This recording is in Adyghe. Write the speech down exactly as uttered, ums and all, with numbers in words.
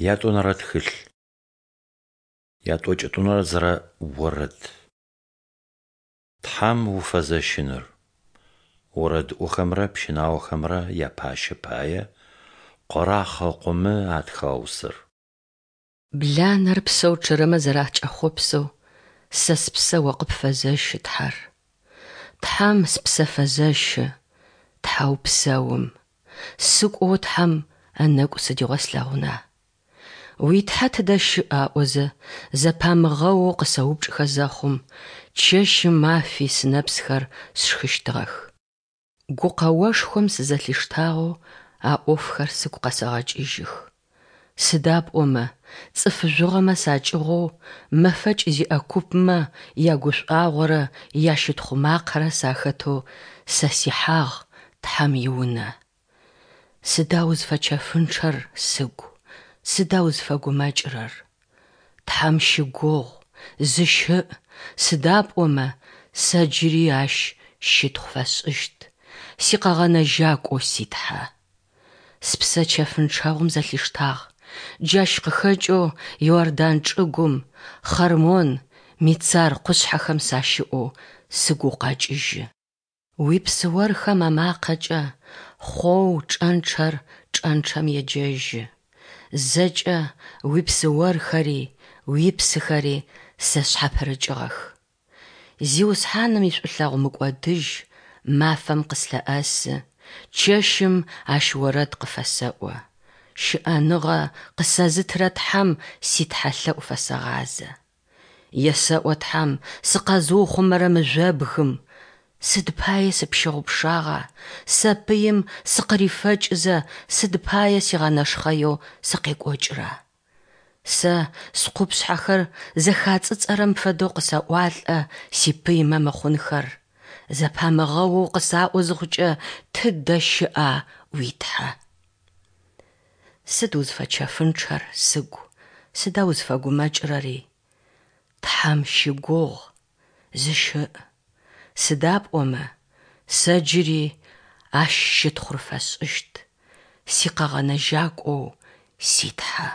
Ятӏонэрэ тхылъ. Ятӏокӏитӏунэ зырэ орэд. Тхьам уфэзэщыныр. Орэдыӏохэмрэ пщынаохэмрэ япащэ пае Къорахъ ыкъомэ атхыгъэ усэр. Бланэр псэу чъэрэмэ зэракӏэхъопсэу, сэ спсэ О къыпфэзэщы, Тхьэр. Тхьэм спсэ фэзэщы, Тхьэу псэум. Сыкӏоу Тхьэм ынэгу сыдигъо слъэгъуна? Уи Тхьэ тыдэ щыӏ? аӏозэ, зэпамыгъэоу къысэупчӏыхэ зэхъум, чэщи мафи сынэпсхэр сшхыщтыгъэх. Гукъэошхом сызэлъиштагъэу а ӏофхэр сыгу къэсэгъэкӏыжьых. Сыда пӏомэ цӏыф жъугъэмэ сакӏыгъоу, мэфэкӏ зиӏэ купмэ ягушӏуагъорэ ящытхъу макъэрэ сахэтэу сэ сихьагъ Тхьэм и Унэ. Сыда узфэчэфынчъэр, сыгу, сыда узфэгумэкӏырэр? Тхьэм щыгугъ, зыщыӏ, сыда пӏомэ сэ джыри Ащ щытхъу фэсшӏыщт, си Къэгъэнэжьакӏоу си Тхьэ. Спсэ чэфынчъэгъум зэлъиштагъ, джащ къыхэкӏэу Иордан чӏыгум, Хъэрмон, Мицар къушъхьэхэм сащыӏэу сыгу укъэкӏыжьы. Уипсыорхэм амакъэкӏэ хъоу чӏэнчъэр чӏэнчъэм еджэжьы, зэкӏэ уипсыорхэри уипсыхэри сэ сшъхьапырыкӏыгъэх. Зиусхьаным ишӏулъэгъу мыкӏодыжь мафэм къыслъэӏэсы, чэщым Ащ орэд къыфэсэӏо, щыӏэныгъэ къысэзытырэ Тхьэм ситхьэлъэӏу фэсэгъазэ. Есэӏо Тхьэм, сыкъэзыухъумэрэ мыжъобгым: Сыд пае сыпщыгъупшагъа, сэ пыим сыкъырифэкӏызэ, сыд пае сигъэнэшхъэеу сыкъекӏокӏыра? Сэ скъупшъхьэхэр зэхацӏыцӏэрэм фэдэу къысаӏуалӏэ сипыймэ мыхъунхэр, зэпамыгъэоу къысаӏо зыхъукӏэ: Тыдэ щыӏа уи Тхьэ? Сыд узфэчэфынчъэр, сыгу, сыда узфэгумэкӏырэри? Тхьэм щыгугъ, зыщыӏ, сыда пӏомэ сэ джыри Ащ щытхъур фэсшӏыщт, си Къэгъэнэжьакӏоу си Тхьэ.